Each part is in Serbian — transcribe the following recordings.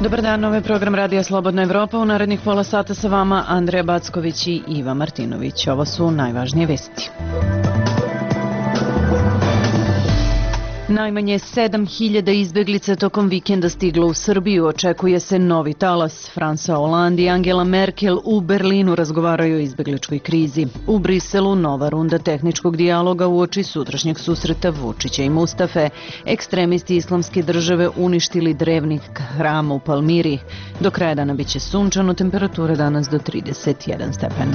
Dobar dan, ovo je program Radija Slobodna Evropa. U narednih pola sata sa vama Andreja Backović i Iva Martinović. Ovo su najvažnije vesti. Najmanje 7.000 izbeglica tokom vikenda stiglo u Srbiju. Očekuje se novi talas. François Hollande i Angela Merkel u Berlinu razgovaraju o izbegličkoj krizi. U Briselu nova runda tehničkog dijaloga uoči sutrašnjeg susreta Vučića i Mustafe. Ekstremisti Islamske države uništili drevni hram u Palmiri. Do kraja dana biće sunčano, temperatura danas do 31 stepen.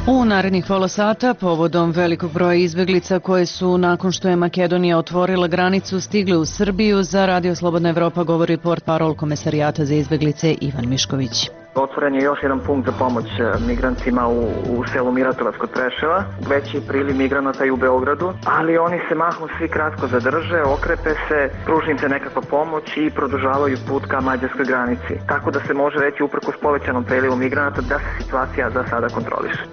U narednih pola sata, povodom velikog broja izbeglica koje su, nakon što je Makedonija otvorila granicu, stigle u Srbiju, za Radio Slobodna Evropa govori portparol Komesarijata za izbeglice Ivan Mišković. Otvoren je još jedan punkt za pomoć migrantima u selu Miratovac kod Preševa. Veći priliv migranata i u Beogradu, ali oni se mahom svi kratko zadrže, okrepe se, pruži im se nekakva pomoć i produžavaju put ka mađarskoj granici. Tako da se može reći, uprkos povećanom prilivu migranata, da se situacija za sada kontroliše.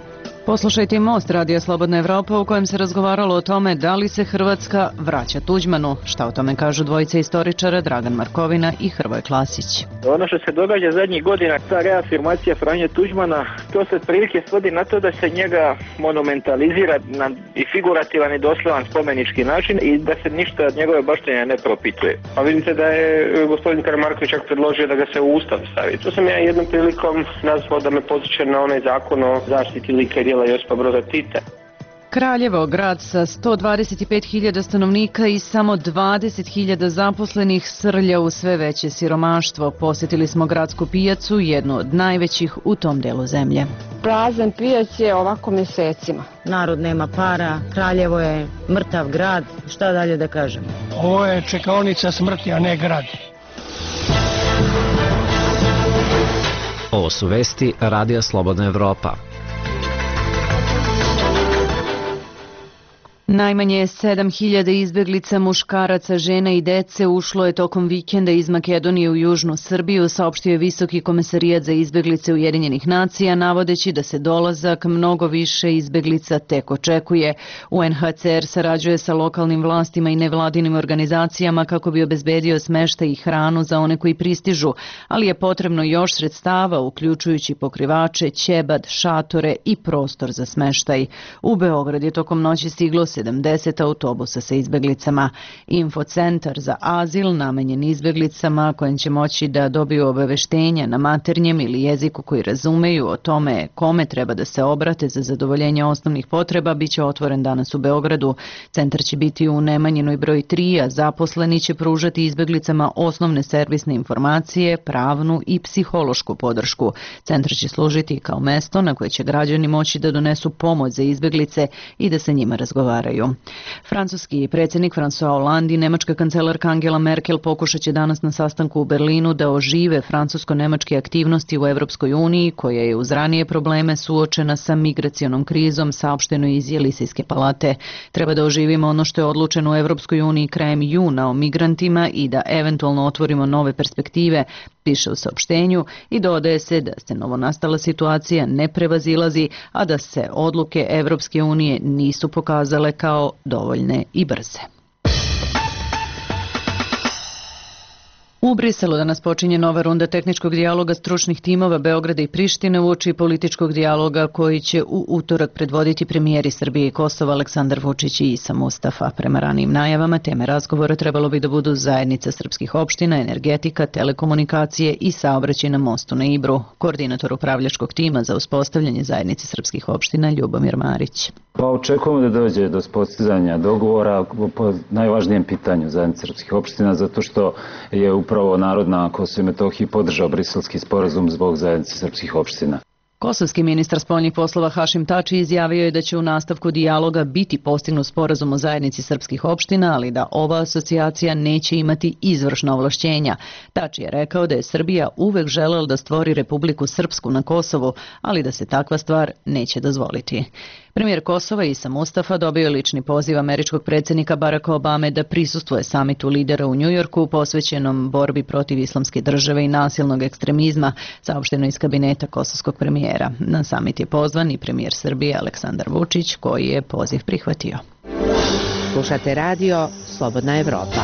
Poslušajte Most Radija Slobodna Evropa u kojem se razgovaralo o tome da li se Hrvatska vraća Tuđmanu. Šta o tome kažu dvojica istoričara Dragan Markovina i Hrvoje Klasić. Ono što se događa zadnjih godina, ta reafirmacija Franje Tuđmana, to se prilike svodi na to da se njega monumentalizira na i figurativan i doslovan spomenički način i da se ništa od njegove baštine ne propituje. A vidite da je gospodin Karamarković čak predložio da ga se u Ustav stavi. To sam ja jednom prilikom nazvao da me podsjeća na onaj zakon o zaštiti lika i djela Josipa Broza Tita. Kraljevo, grad sa 125.000 stanovnika i samo 20.000 zaposlenih, srlja u sve veće siromaštvo. Posjetili smo gradsku pijacu, jednu od najvećih u tom delu zemlje. Prazan pijac je ovako mjesecima. Narod nema para, Kraljevo je mrtav grad, šta dalje da kažemo? Ovo je čekaonica smrti, a ne grad. Ovo su vesti Radija Slobodna Evropa. Najmanje 7.000 izbeglica, muškaraca, žena i dece ušlo je tokom vikenda iz Makedonije u južnu Srbiju, saopštio je Visoki komesarijat za izbeglice Ujedinjenih nacija, navodeći da se dolazak mnogo više izbeglica tek očekuje. UNHCR sarađuje sa lokalnim vlastima i nevladinim organizacijama kako bi obezbedio smeštaj i hranu za one koji pristižu, ali je potrebno još sredstava, uključujući pokrivače, ćebad, šatore i prostor za smeštaj. U Beograd je tokom noći stiglo 70 autobusa sa izbeglicama. Infocentar za azil namenjen izbeglicama kojim će moći da dobiju obaveštenja na maternjem ili jeziku koji razumeju o tome kome treba da se obrate za zadovoljenje osnovnih potreba biće otvoren danas u Beogradu. Centar će biti u Nemanjinoj broj 3, a zaposleni će pružati izbeglicama osnovne servisne informacije, pravnu i psihološku podršku. Centar će služiti kao mesto na koje će građani moći da donesu pomoć za izbeglice i da sa njima razgovaraju. Francuski predsjednik François Hollande i nemačka kancelarka Angela Merkel pokušat će danas na sastanku u Berlinu da ožive francusko-nemačke aktivnosti u Evropskoj uniji, koja je uz ranije probleme suočena sa migracionom krizom, saopšteno iz Jelisejske palate. Treba da oživimo ono što je odlučeno u Evropskoj uniji krajem juna o migrantima i da eventualno otvorimo nove perspektive, piše u saopštenju, i dodaje se da se novonastala situacija ne prevazilazi, a da se odluke Evropske unije nisu pokazale kao dovoljne i brze. U Briselu danas počinje nova runda tehničkog dijaloga stručnih timova Beograda i Prištine uoči političkog dijaloga koji će u utorak predvoditi premijeri Srbije i Kosova Aleksandar Vučić i Isa Mustafa. Prema ranijim najavama, teme razgovora trebalo bi da budu zajednica srpskih opština, energetika, telekomunikacije i saobraćaj na mostu na Ibru. Koordinator upravljačkog tima za uspostavljanje zajednice srpskih opština Ljubomir Marić. Pa očekujemo da dođe do postizanja dogovora po najvažnijem pitanju zajednice srpskih opština, zato što je upravo narod na Kosovu i Metohiji podržao Briselski sporazum zbog zajednice srpskih opština. Kosovski ministar spoljnih poslova Hašim Tači izjavio je da će u nastavku dijaloga biti postignut sporazum o zajednici srpskih opština, ali da ova asocijacija neće imati izvršna ovlašćenja. Tači je rekao da je Srbija uvek želela da stvori Republiku Srpsku na Kosovu, ali da se takva stvar neće dozvoliti. Premijer Kosova Isa Mustafa dobio je lični poziv američkog predsjednika Baracka Obame da prisustvuje samitu lidera u Njujorku posvećenom borbi protiv islamske države i nasilnog ekstremizma, saopšteno iz kabineta kosovskog premijera. Na samit je pozvan i premijer Srbije Aleksandar Vučić, koji je poziv prihvatio. Slušate radio Slobodna Evropa.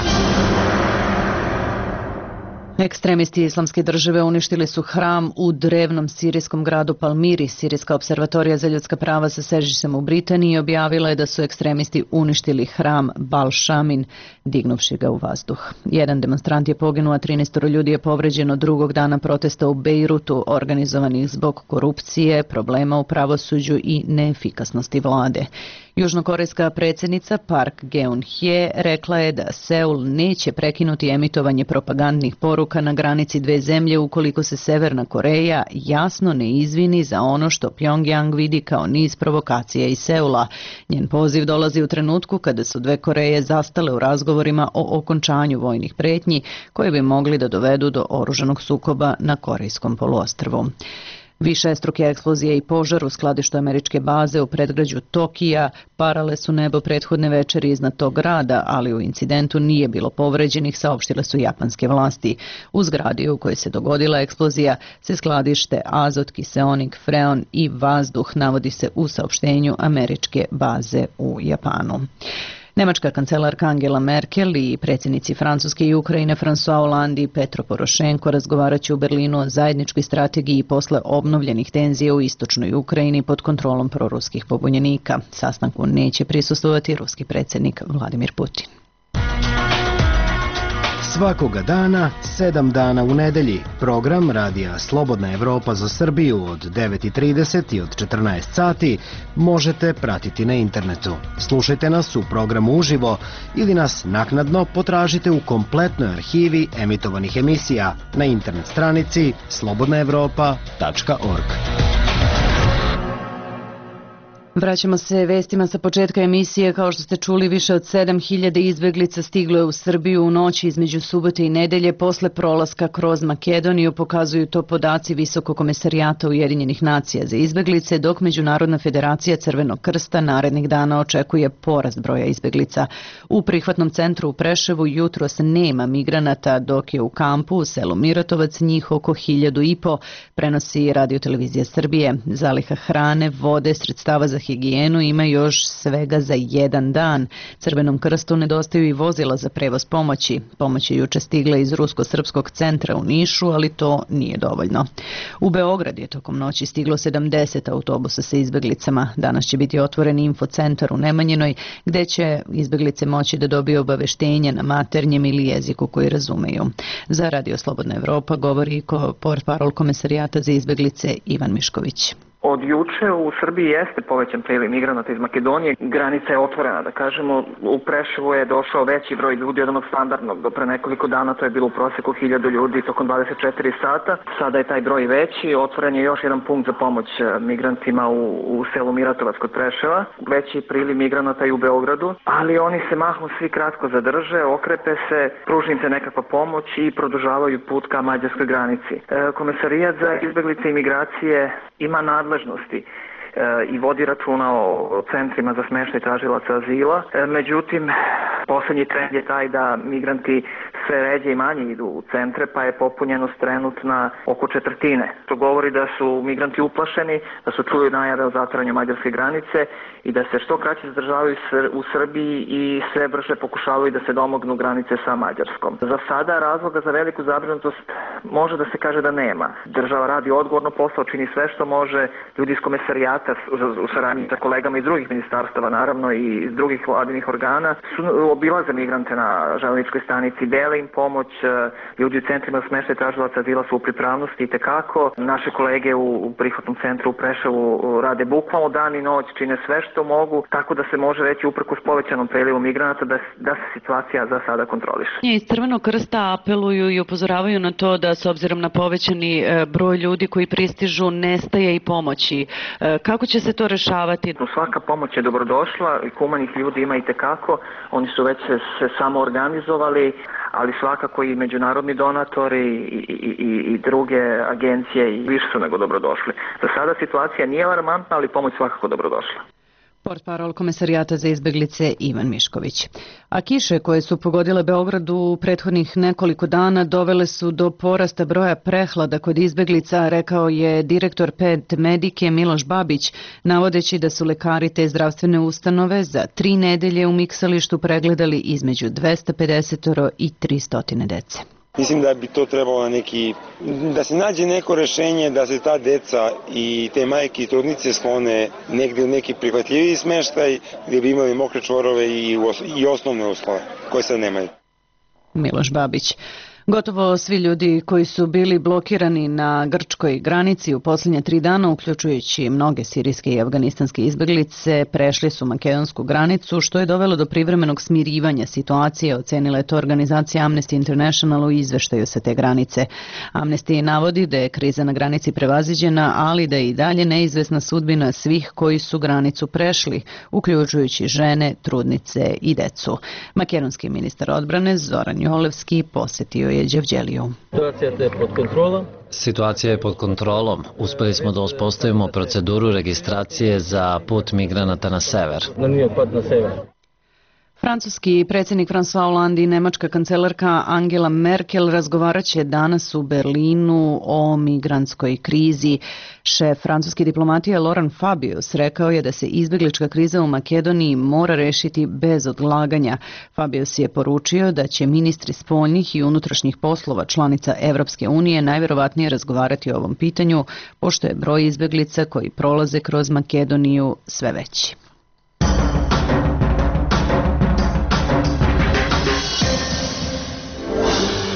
Ekstremisti Islamske države uništili su hram u drevnom sirijskom gradu Palmiri. Sirijska observatorija za ljudska prava sa sedištem u Britaniji objavila je da su ekstremisti uništili hram Bal Shamin, dignuvši ga u vazduh. Jedan demonstrant je poginuo, a 13 ljudi je povređeno drugog dana protesta u Bejrutu, organizovanih zbog korupcije, problema u pravosuđu i neefikasnosti vlade. Južnokorejska predsjednica Park Geun-hye rekla je da Seul neće prekinuti emitovanje propagandnih poruka na granici dve zemlje ukoliko se Severna Koreja jasno ne izvini za ono što Pyongyang vidi kao niz provokacija iz Seula. Njen poziv dolazi u trenutku kada su dve Koreje zastale u razgovorima o okončanju vojnih pretnji koje bi mogli da dovedu do oružanog sukoba na Korejskom poluostrvu. Višestruke eksplozije i požar u skladištu američke baze u predgrađu Tokija parale su nebo prethodne večeri iznad tog grada, ali u incidentu nije bilo povređenih, saopštile su japanske vlasti. U zgradi u kojoj se dogodila eksplozija se skladište azot, kiseonik, freon i vazduh, navodi se u saopštenju američke baze u Japanu. Nemačka kancelarka Angela Merkel i predsjednici Francuske i Ukrajine François Hollande i Petro Porošenko razgovarat će u Berlinu o zajedničkoj strategiji posle obnovljenih tenzija u istočnoj Ukrajini pod kontrolom proruskih pobunjenika. Sastanku neće prisustvovati ruski predsjednik Vladimir Putin. Svakoga dana, 7 dana u nedelji, program Radija Slobodna Evropa za Srbiju od 9:30 i od 14 sati možete pratiti na internetu. Slušajte nas u programu uživo ili nas naknadno potražite u kompletnoj arhivi emitovanih emisija na internet stranici slobodnaevropa.org. Vraćamo se vestima sa početka emisije. Kao što ste čuli, više od 7.000 izbeglica stiglo je u Srbiju u noći između subote i nedelje posle prolaska kroz Makedoniju, pokazuju to podaci Visokog komesarijata Ujedinjenih nacija za izbeglice, dok Međunarodna federacija Crvenog krsta narednih dana očekuje porast broja izbeglica. U prihvatnom centru u Preševu jutros nema migranata, dok je u kampu u selu Miratovac njih oko 1.500, prenosi Radio-televizija Srbije. Zaliha hrane, vode, sredstava za higijenu ima još svega za jedan dan. Crvenom krstu nedostaju i vozila za prevoz pomoći. Pomoć je juče stigla iz Rusko-srpskog centra u Nišu, ali to nije dovoljno. U Beograd je tokom noći stiglo 70 autobusa sa izbeglicama. Danas će biti otvoren infocentar u Nemanjinoj, gde će izbeglice moći da dobiju obaveštenje na maternjem ili jeziku koji razumeju. Za Radio Slobodna Evropa govori portparol Komesarijata za izbeglice Ivan Mišković. Od juče u Srbiji jeste povećan priliv migranata iz Makedonije. Granica je otvorena, da kažemo. U Preševu je došao veći broj ljudi od onog standardnog. Do pre nekoliko dana to je bilo u proseku 1000 ljudi tokom 24 sata. Sada je taj broj veći. Otvoren je još jedan punkt za pomoć migrantima u selu Miratovac kod Preševa. Veći priliv migranata i u Beogradu, ali oni se mahom svi kratko zadrže, okrepe se, pruži im se nekakva pomoć i produžavaju put ka mađarskoj granici. Komesarijat za izbeglice i migracije ima nadležnosti i vodi računa o centrima za smještaj tražilaca azila. Međutim, posljednji trend je taj da migranti sve ređe i manje idu u centre, pa je popunjenost trenutna oko 1/4. To govori da su migranti uplašeni, da su čuli najave o zatvaranju mađarske granice i da se što kraće zadržavaju u Srbiji i sve brže pokušavaju da se domognu granice sa Mađarskom. Za sada razloga za veliku zabrinutost može da se kaže da nema. Država radi odgovorno posao, čini sve što može. Ljudi iz komesarijata u saradnji sa kolegama iz drugih ministarstava, naravno i iz drugih vladinih organa, su obilaze migrante na železničkoj stanici, dele im pomoć. Ljudi u centrima smještaja tražilaca azila su u pripravnosti i tekako. Naše kolege u prihvatnom centru u Preševu rade bukvalno dan i noć, čine sve što mogu, tako da se može reći uprkos povećanom prilivu migranata da se situacija za sada kontroliše. Iz Crvenog krsta apeluju i upozoravaju na to da s obzirom na povećani broj ljudi koji pristižu nestaje i pomoći. Kako će se to rešavati? Svaka pomoć je dobrodošla i humanih ljudi ima i tekako. Oni su već se samo organizovali, ali svakako i međunarodni donatori i druge agencije i više su nego dobrodošli. Za sada situacija nije alarmantna, ali pomoć svakako dobrodošla. Portparol Komesarijata za izbeglice Ivan Mišković. A kiše koje su pogodile Beograd u prethodnih nekoliko dana dovele su do porasta broja prehlada kod izbeglica, rekao je direktor Ped Medike Miloš Babić, navodeći da su lekari te zdravstvene ustanove za 3 nedelje u Miksalištu pregledali između 250 i 300 dece. Mislim da bi to trebalo da se nađe neko rešenje da se ta deca i te majke i trudnice sklone negde u neki prihvatljiviji smeštaj gdje bi imali mokre čvorove i osnovne uslove koje sad nemaju. Miloš Babić. Gotovo svi ljudi koji su bili blokirani na grčkoj granici u posljednje 3 dana, uključujući mnoge sirijske i afganistanske izbeglice, prešli su makedonsku granicu, što je dovelo do privremenog smirivanja situacije, ocenila je to organizacija Amnesty International u izveštaju sa te granice. Amnesty navodi da je kriza na granici prevaziđena, ali da je i dalje neizvesna sudbina svih koji su granicu prešli, uključujući žene, trudnice i decu. Makedonski ministar odbrane Zoran Jolevski posjetio je Đevđeliju. Situacija je pod kontrolom. Uspeli smo da uspostavimo proceduru registracije za put migranata na sever. Francuski predsjednik François Hollande i nemačka kancelarka Angela Merkel razgovaraće danas u Berlinu o migrantskoj krizi. Šef francuske diplomatije Laurent Fabius rekao je da se izbeglička kriza u Makedoniji mora rešiti bez odlaganja. Fabius je poručio da će ministri spoljnih i unutrašnjih poslova članica Evropske unije najverovatnije razgovarati o ovom pitanju, pošto je broj izbeglica koji prolaze kroz Makedoniju sve veći.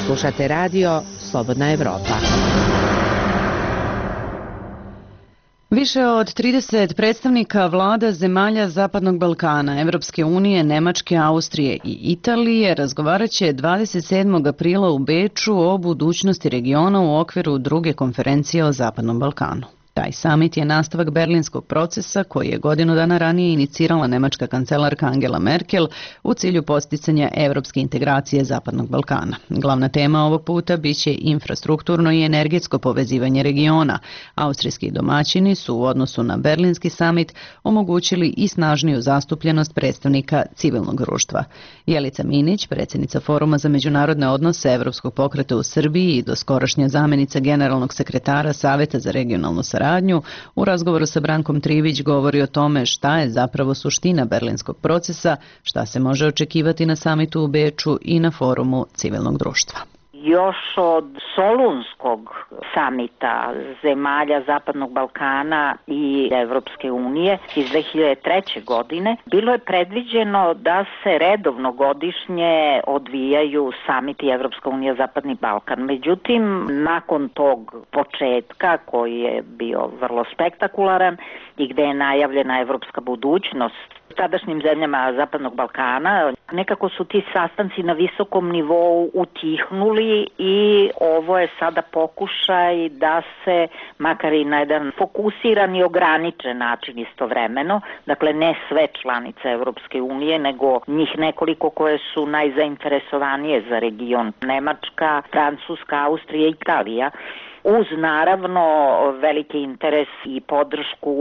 Slušate radio Slobodna Evropa. Više od 30 predstavnika vlada zemalja Zapadnog Balkana, Evropske unije, Nemačke, Austrije i Italije razgovaraće 27. aprila u Beču o budućnosti regiona u okviru druge konferencije o Zapadnom Balkanu. Taj samit je nastavak berlinskog procesa koji je godinu dana ranije inicirala nemačka kancelarka Angela Merkel u cilju posticanja evropske integracije Zapadnog Balkana. Glavna tema ovog puta biće infrastrukturno i energetsko povezivanje regiona. Austrijski domaćini su u odnosu na berlinski samit omogućili i snažniju zastupljenost predstavnika civilnog društva. Jelica Minić, predsjednica Foruma za međunarodne odnose Evropskog pokreta u Srbiji i doskorašnja zamjenica generalnog sekretara Saveta za regionalnu saradnju, u razgovoru sa Brankom Trivić govori o tome šta je zapravo suština berlinskog procesa, šta se može očekivati na samitu u Beču i na forumu civilnog društva. Još od Solunskog samita zemalja Zapadnog Balkana i Evropske unije iz 2003. godine bilo je predviđeno da se redovno godišnje odvijaju samiti Evropska unija Zapadni Balkan. Međutim, nakon tog početka koji je bio vrlo spektakularan i gde je najavljena evropska budućnost tadašnjim zemljama Zapadnog Balkana, nekako su ti sastanci na visokom nivou utihnuli i ovo je sada pokušaj da se, makar i na jedan fokusiran i ograničen način istovremeno, dakle ne sve članice Evropske unije, nego njih nekoliko koje su najzainteresovanije za region, Nemačka, Francuska, Austrija i Italija, uz naravno veliki interes i podršku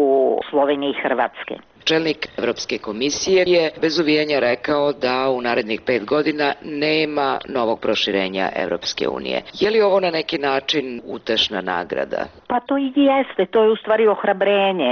Slovenije i Hrvatske. Čelnik Evropske komisije je bez uvijanja rekao da u narednih 5 godina nema novog proširenja Evropske unije. Je li ovo na neki način utešna nagrada? Pa to i jeste, to je u stvari ohrabrenje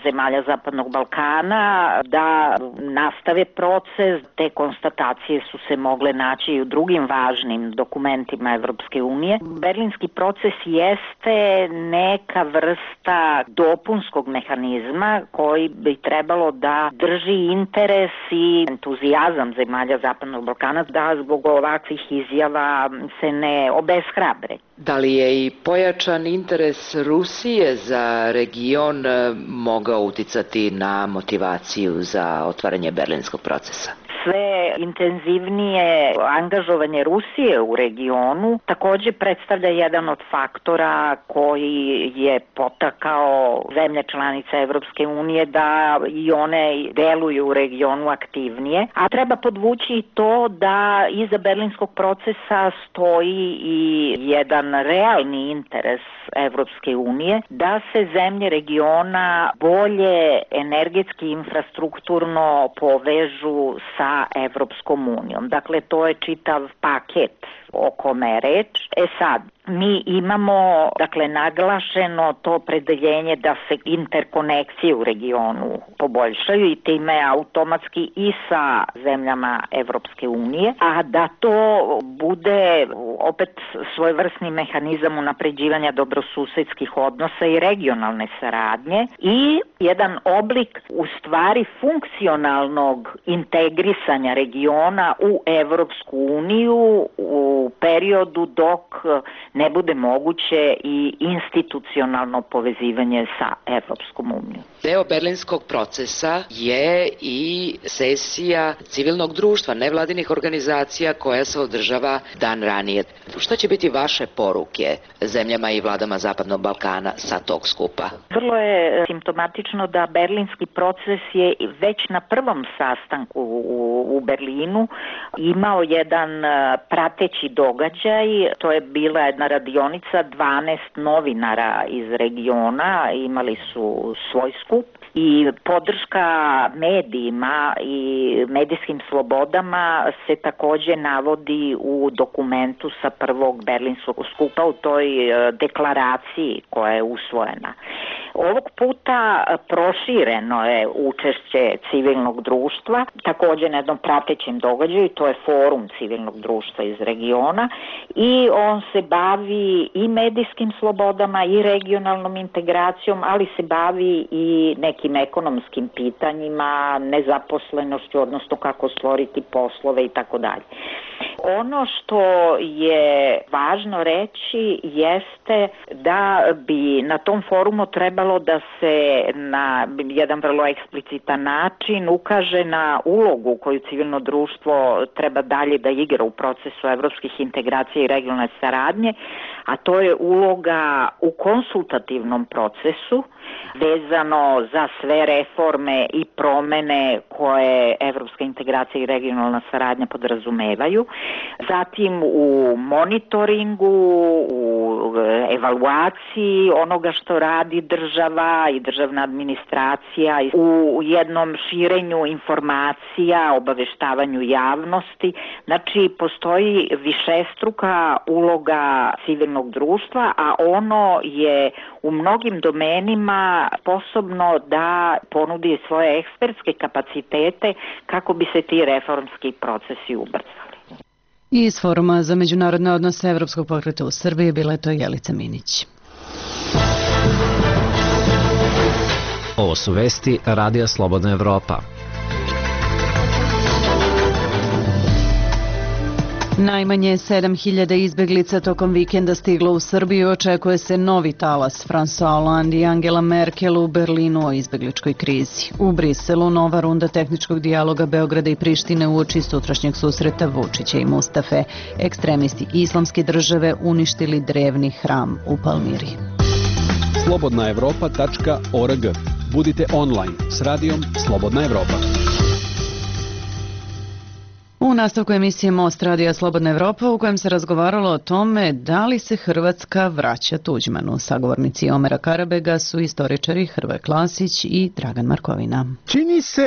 zemalja Zapadnog Balkana da nastave proces. Te konstatacije su se mogle naći i u drugim važnim dokumentima Evropske unije. Berlinski proces jeste neka vrsta dopunskog mehanizma koji bi trebalo da drži interes i entuzijazam zemalja Zapadnog Balkana da zbog ovakvih izjava se ne obeshrabre. Da li je i pojačan interes Rusije za region mogao uticati na motivaciju za otvaranje berlinskog procesa? sve intenzivnije angažovanje Rusije u regionu takođe predstavlja jedan od faktora koji je potakao zemlje članice Evropske unije da i one deluju u regionu aktivnije. A treba podvući to da iza berlinskog procesa stoji i jedan realni interes Evropske unije da se zemlje regiona bolje energetski infrastrukturno povežu sa Evropskom unijom. Dakle, to je čitav paket o kome je reč. Sad, mi imamo, dakle, naglašeno to opredeljenje da se interkonekcije u regionu poboljšaju i time automatski i sa zemljama Evropske unije, a da to bude opet svojevrsni mehanizam unapređivanja dobrosusedskih odnosa i regionalne saradnje i jedan oblik u stvari funkcionalnog integrisanja regiona u Evropsku uniju u periodu dok ne bude moguće i institucionalno povezivanje sa Evropskom unijom. Deo berlinskog procesa je i sesija civilnog društva, nevladinih organizacija koja se održava dan ranije. Šta će biti vaše poruke zemljama i vladama Zapadnog Balkana sa tog skupa? Vrlo je simptomatično da berlinski proces je već na prvom sastanku u Berlinu imao jedan prateći događaj. To je bila jedna radionica, 12 novinara iz regiona imali su svoj skup i podrška medijima i medijskim slobodama se takođe navodi u dokumentu sa prvog berlinskog skupa u toj deklaraciji koja je usvojena. Ovog puta prošireno je učešće civilnog društva, takođe na jednom pratećem događaju, to je forum civilnog društva iz regiona i on se bavi i medijskim slobodama i regionalnom integracijom, ali se bavi i nekim ekonomskim pitanjima, nezaposlenošću, odnosno kako stvoriti poslove i tako dalje. Ono što je važno reći jeste da bi na tom forumu trebalo da se na jedan vrlo eksplicitan način ukaže na ulogu koju civilno društvo treba dalje da igra u procesu evropskih integracija i regionalne saradnje, a to je uloga u konsultativnom procesu vezano za sve reforme i promene koje evropska integracija i regionalna saradnja podrazumevaju. Zatim u monitoringu, u evaluaciji onoga što radi država i državna administracija, u jednom širenju informacija, obaveštavanju javnosti. Znači, postoji višestruka uloga civilnog društva, a ono je u mnogim domenima sposobno da ponudi svoje ekspertske kapacitete kako bi se ti reformski procesi ubrzali. Iz Foruma za međunarodne odnose Evropskog pokreta u Srbiji bila je to Jelica Minić. Ovo su vesti Radija Slobodna Evropa. Najmanje 7.000 izbeglica tokom vikenda stiglo u Srbiju. Očekuje se novi talas. François Hollande i Angela Merkel u Berlinu o izbegličkoj krizi. U Briselu nova runda tehničkog dijaloga Beograda i Prištine uoči sutrašnjeg susreta Vučića i Mustafe. Ekstremisti Islamske države uništili drevni hram u Palmiri. slobodnaevropa.org. Budite online s radijom Slobodna Evropa. U nastavku emisije Most Radija Slobodna Evropa u kojem se razgovaralo o tome da li se Hrvatska vraća Tuđmanu. Sagovornici Omera Karabega su istoričari Hrvoje Klasić i Dragan Markovina. Čini se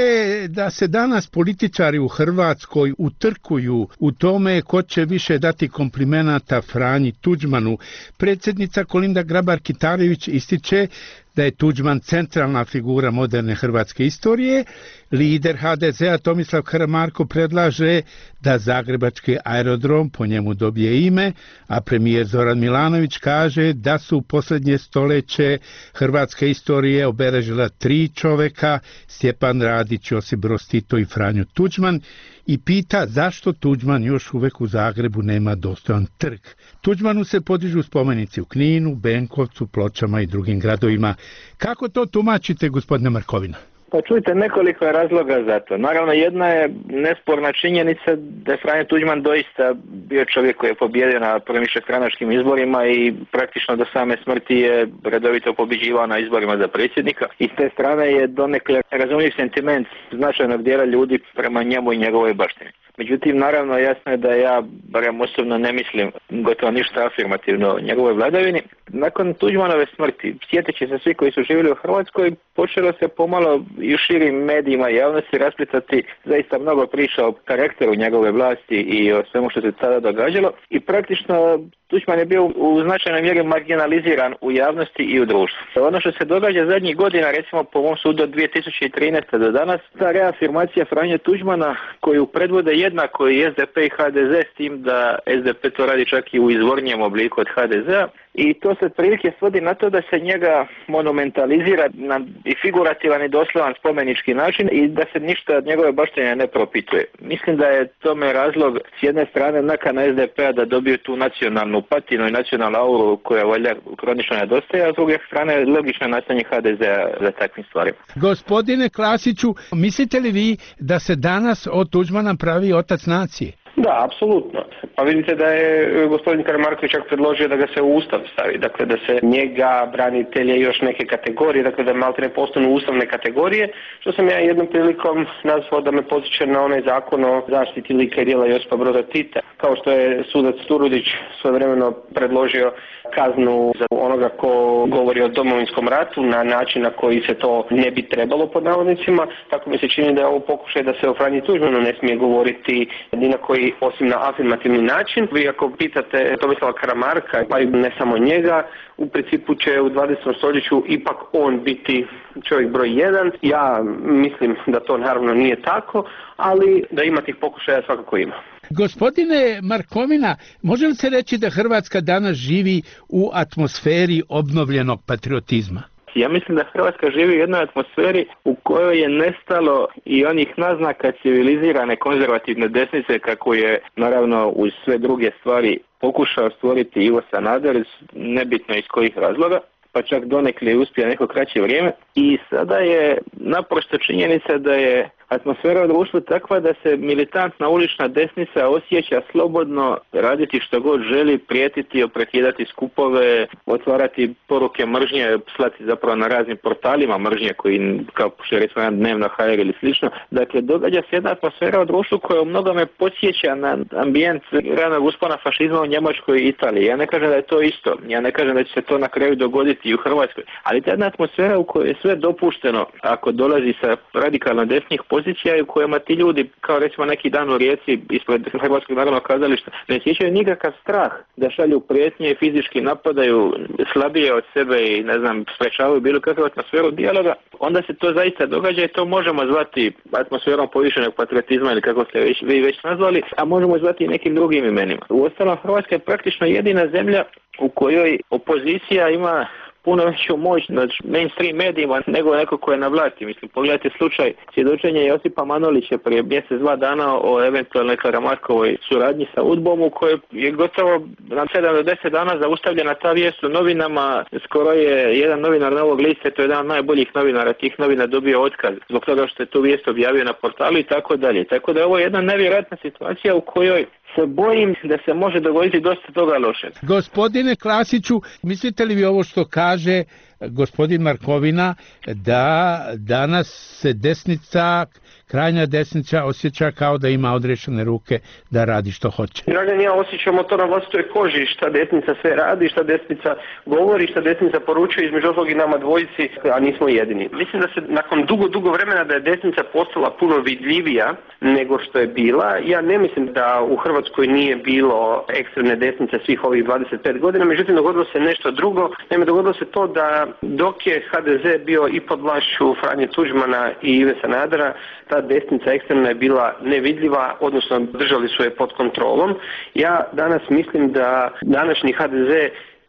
da se danas političari u Hrvatskoj utrkuju u tome ko će više dati komplimenata Franji Tuđmanu. Predsjednica Kolinda Grabar-Kitarović ističe da je Tuđman centralna figura moderne hrvatske istorije. Lider HDZ-a Tomislav Karamarko predlaže da zagrebački aerodrom po njemu dobije ime, a premijer Zoran Milanović kaže da su u posljednje stoljeće hrvatske istorije obeležila 3 čoveka, Stjepan Radić, Josip Broz Tito i Franjo Tuđman, i pita zašto Tuđman još uvek u Zagrebu nema dostojan trg. Tuđmanu se podižu spomenici u Kninu, Benkovcu, Pločama i drugim gradovima. Kako to tumačite, gospodine Markovina? Pa čujte, nekoliko je razloga za to. Naravno, jedna je nesporna činjenica da je Franjo Tuđman doista bio čovjek koji je pobjedio na prvim višestranačkim izborima i praktično do same smrti je redovito pobjeđivao na izborima za predsjednika. I s te strane je donekle razumljiv sentiment značajnog dijela ljudi prema njemu i njegovoj baštini. Međutim, naravno, jasno je da ja, barem osobno, ne mislim gotovo ništa afirmativno o njegovoj vladavini. Nakon Tuđmanove smrti, sjeteći se svi koji su živjeli u Hrvatskoj, počelo se pomalo i u širim medijima i javnosti rasplitati zaista mnogo priča o karakteru njegove vlasti i o svemu što se tada događalo. I praktično Tuđman je bio u značajnoj mjeri marginaliziran u javnosti i u društvu. Ono što se događa zadnjih godina, recimo po mom sudu od 2013. do danas, ta reafirmacija Franje Tuđmana koju predvode jednako i SDP i HDZ, s tim da SDP to radi čak i u izvornijem obliku od HDZ-a, i to se otprilike svodi na to da se njega monumentalizira na i figurativan i doslovan spomenički način i da se ništa od njegove baštine ne propituje. Mislim da je tome razlog s jedne strane nakana SDP-a da dobiju tu nacionalnu patinu i nacionalnu auru koja valjda kronično nedostaje, a s druge strane logično nastanje HDZ-a za takvim stvarima. Gospodine Klasiću, mislite li vi da se danas od Tuđmana pravi otac nacije? Da, apsolutno. Pa vidite da je gospodin Karamarković čak predložio da ga se u Ustav stavi, dakle da se njega, branitelje i još neke kategorije, dakle da maltene postanu ustavne kategorije, što sam ja jednom prilikom nazvao da me podsjeća na onaj zakon o zaštiti lika i djela Josipa Broza Tita, kao što je sudac Turudić svojevremeno predložio kaznu za onoga ko govori o Domovinskom ratu na način na koji se to ne bi trebalo pod navodnicima, tako mi se čini da je ovo pokušaj da se o Franji Tuđmanu ne smije govoriti ni na koji osim na afirmativni način. Vi ako pitate Tomislava Karamarka, pa i ne samo njega, u principu će u 20. stoljeću ipak on biti čovjek broj 1. Ja mislim da to naravno nije tako, ali da ima tih pokušaja svakako ima. Gospodine Markovina, može li se reći da Hrvatska danas živi u atmosferi obnovljenog patriotizma? Ja mislim da Hrvatska živi u jednoj atmosferi u kojoj je nestalo i onih naznaka civilizirane konzervativne desnice kako je naravno uz sve druge stvari pokušao stvoriti Ivo Sanader, nebitno iz kojih razloga, pa čak donekle uspije neko kraće vrijeme. I sada je naprosto činjenica da je atmosfera u društvu takva da se militantna ulična desnica osjeća slobodno raditi što god želi, prijetiti, oprekidati skupove, otvarati poruke mržnje, slati zapravo na raznim portalima mržnje koji, kao što je recimo jedan Dnevno HR ili slično. Dakle, događa se jedna atmosfera u društvu koja u mnogome podsjeća na ambijent ranog uspona fašizma u Njemačkoj i Italiji. Ja ne kažem da je to isto, ja ne kažem da će se to na kraju dogoditi i u Hrvatskoj, ali ta jedna atmosfera u kojoj je sve dopušteno ako dolazi sa radikalno desnih pozicija i u kojima ti ljudi, kao recimo neki dan u Rijeci ispred Hrvatskog narodnog kazališta, ne osjećaju nikakav strah da šalju prijetnje i fizički napadaju slabije od sebe i ne znam, sprečavaju bilo kakvu atmosferu dijaloga, onda se to zaista događa i to možemo zvati atmosferom povišenog patriotizma ili kako ste vi već nazvali, a možemo zvati i nekim drugim imenima. Uostalom, Hrvatska je praktično jedina zemlja u kojoj opozicija ima puno veću moć nad mainstream medijima nego neko ko je na vlasti. Mislim, pogledajte slučaj svjedočenja Josipa Manolića prije mjesec, 2 dana o eventualnoj Karamarkovoj suradnji sa UDBom u kojoj je gotovo na 7 do 10 dana zaustavljena ta vijest u novinama. Skoro je jedan novinar Novog lista, to je jedan od najboljih novinara tih novina, dobio otkaz zbog toga što je tu vijest objavio na portalu i tako dalje. Tako da je ovo jedna nevjerojatna situacija u kojoj se bojim da se može dogoditi dosta toga lošeg. Gospodine Klasiću, mislite li vi ovo što kaže gospodin Markovina, da danas se desnica, krajnja desnica osjeća kao da ima odrešene ruke da radi što hoće? Dragan, ja osjećamo to na vlastitoj koži, šta desnica sve radi, šta desnica govori, šta desnica poručuje, između ostalog i nama dvojici, a nismo jedini. Mislim da se nakon dugo vremena da je desnica postala puno vidljivija nego što je bila. Ja ne mislim da u Hrvatskoj nije bilo ekstremne desnice svih ovih 25 godina, međutim dogodilo se nešto drugo. Naime, dogodilo se to da dok je HDZ bio i pod vlašću Franje Tuđmana i Ive Sanadera, ta desnica ekstremna je bila nevidljiva, odnosno držali su je pod kontrolom. Ja danas mislim da današnji HDZ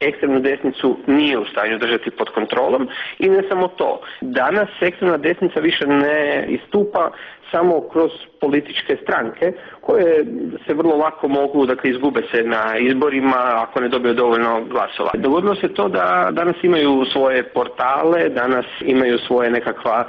ekstremnu desnicu nije u stanju držati pod kontrolom i ne samo to. Danas ekstremna desnica više ne istupa samo kroz političke stranke koje se vrlo lako mogu, dakle, izgube se na izborima ako ne dobiju dovoljno glasova. Dogodilo se to da danas imaju svoje portale, danas imaju svoje nekakva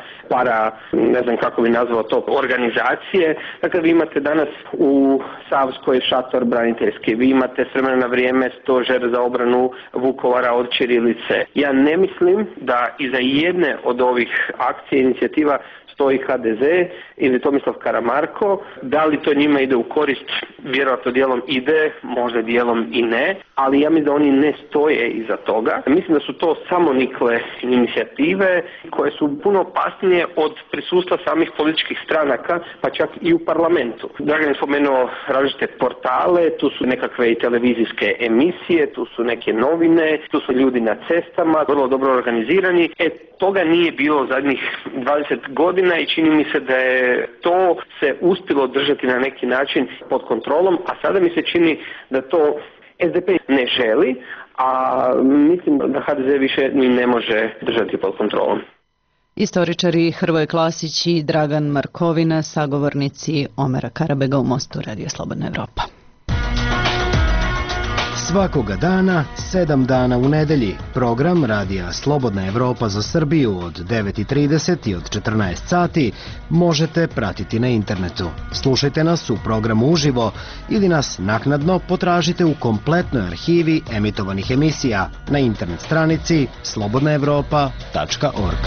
ne znam kako bi nazvao to, organizacije. Dakle, vi imate danas u Savskoj šator braniteljski, vi imate s vremena na vrijeme stožer za obranu Vukovara od ćirilice. Ja ne mislim da iza jedne od ovih akcija i inicijativa stoji HDZ ili Tomislav Karamarko. Da li to njima ide u korist? Vjerojatno dijelom ide, možda dijelom i ne, ali ja mislim da oni ne stoje iza toga. Mislim da su to samonikle inicijative koje su puno opasnije od prisustva samih političkih stranaka, pa čak i u parlamentu. Dragan je spomenuo različite portale, tu su nekakve i televizijske emisije, tu su neke novine, tu su ljudi na cestama, vrlo dobro organizirani. Toga nije bilo zadnjih 20 godina i čini mi se da je to se uspjelo držati na neki način pod kontrolom, a sada mi se čini da to SDP ne želi, a mislim da HDZ više ni ne može držati pod kontrolom. Istoričari Hrvoje Klasić i Dragan Markovina, sagovornici Omera Karabega u Mostu, Radio Slobodna Evropa. Svakoga dana, 7 dana u nedelji, program Radija Slobodna Evropa za Srbiju od 9:30 i od 14 sati možete pratiti na internetu. Slušajte nas u programu uživo ili nas naknadno potražite u kompletnoj arhivi emitovanih emisija na internet stranici slobodnaevropa.org.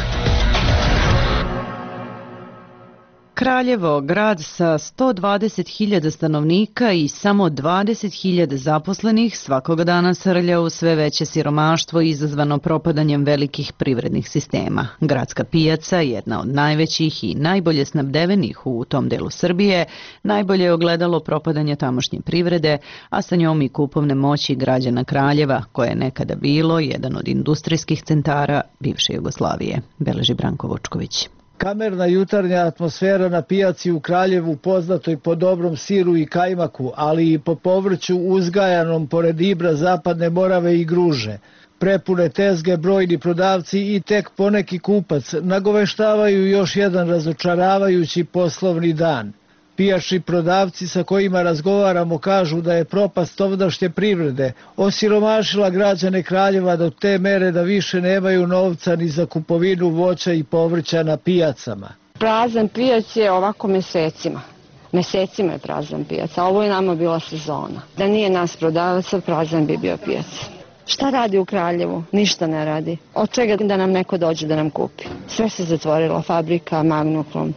Kraljevo, grad sa 120.000 stanovnika i samo 20.000 zaposlenih, svakoga dana srlja u sve veće siromaštvo izazvano propadanjem velikih privrednih sistema. Gradska pijaca, jedna od najvećih i najbolje snabdevenih u tom delu Srbije, najbolje je ogledalo propadanja tamošnje privrede, a sa njom i kupovne moći građana Kraljeva, koje je nekada bilo jedan od industrijskih centara bivše Jugoslavije, beleži Branko Vučković. Kamerna jutarnja atmosfera na pijaci u Kraljevu, poznatoj po dobrom siru i kajmaku, ali i po povrću uzgajanom pored Ibra, Zapadne Morave i Gruže. Prepune tezge, brojni prodavci i tek poneki kupac nagoveštavaju još jedan razočaravajući poslovni dan. Pijačni prodavci sa kojima razgovaramo kažu da je propast ovdašnje privrede osiromašila građane Kraljeva do te mere da više nemaju novca ni za kupovinu voća i povrća na pijacama. Prazan pijac je ovako mesecima. Mesecima je prazan pijac, a ovo je nama bila sezona. Da nije nas prodavaca, prazan bi bio pijac. Šta radi u Kraljevu? Ništa ne radi. Od čega da nam neko dođe da nam kupi? Sve se zatvorilo, fabrika, Magnoklon,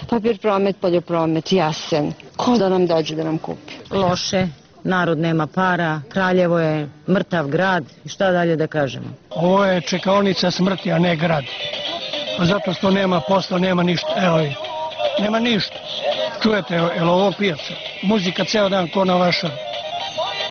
Papir promet, poljopromet, Jasen. Ko da nam dođe da nam kupi? Loše, narod nema para, Kraljevo je mrtav grad i šta dalje da kažemo? Ovo je čekaonica smrti, a ne grad. Zato što nema posla, nema ništa. Evo je, nema ništa. Čujete, evo ovo pijaca. Muzika ceo dan ko na vaša.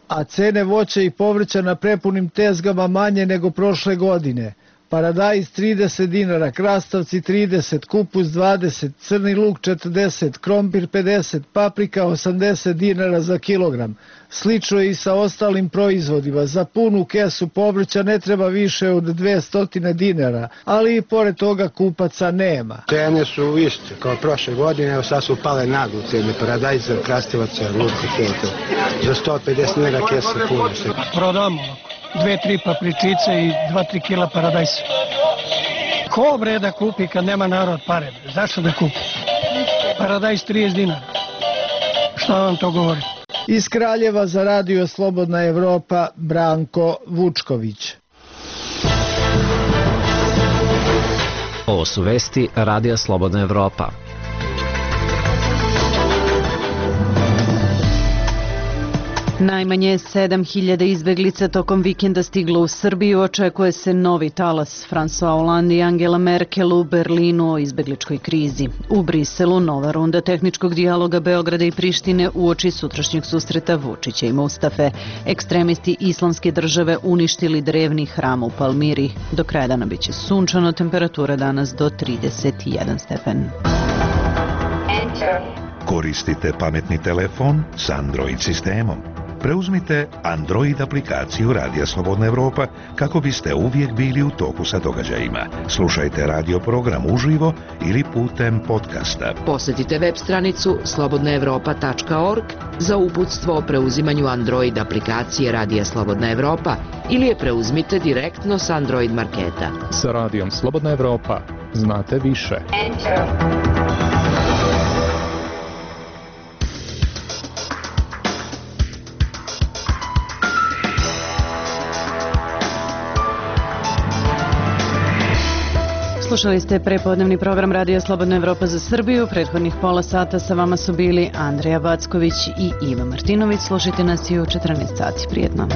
A cene voća i povrća na prepunim tezgama manje nego prošle godine. Paradajz 30 dinara, krastavci 30, kupus 20, crni luk 40, krompir 50, paprika 80 dinara za kilogram. Slično je i sa ostalim proizvodima. Za punu kesu povrća ne treba više od 200 dinara, ali i pored toga kupaca nema. Cene su iste kao prošle godine, evo sad su pale naglo cene paradajza, krastavaca, luka, za 150 dinara kesa puna. Prodamo 2-3 papričice i 2-3 kila paradajsa. Ko bre da kupi kad nema narod pare? Zašto da kupi? Paradajz 30 dinara. Šta vam to govori? Iz Kraljeva za Radio Slobodna Evropa, Branko Vučković. Ovo su vesti Radija Slobodna Evropa. Najmanje 7.000 izbeglica tokom vikenda stiglo u Srbiju. Očekuje se novi talas. François Hollande i Angela Merkel u Berlinu o izbegličkoj krizi. U Briselu nova runda tehničkog dijaloga Beograda i Prištine uoči sutrašnjeg susreta Vučića i Mustafe. Ekstremisti Islamske države uništili drevni hram u Palmiri. Do kraja dana biće sunčano, temperatura danas do 31 stepen. Koristite pametni telefon s Android sistemom. Preuzmite Android aplikaciju Radija Slobodna Evropa kako biste uvijek bili u toku sa događajima. Slušajte radio program uživo ili putem podcasta. Posjetite web stranicu slobodnaevropa.org za uputstvo o preuzimanju Android aplikacije Radija Slobodna Evropa ili je preuzmite direktno s Android marketa. Sa Radijom Slobodna Evropa znate više. Slušali ste prepodnevni program Radija Slobodna Evropa za Srbiju. Prethodnih pola sata sa vama su bili Andreja Backović i Iva Martinović. Slušajte nas i u 14 sati. Prijetno.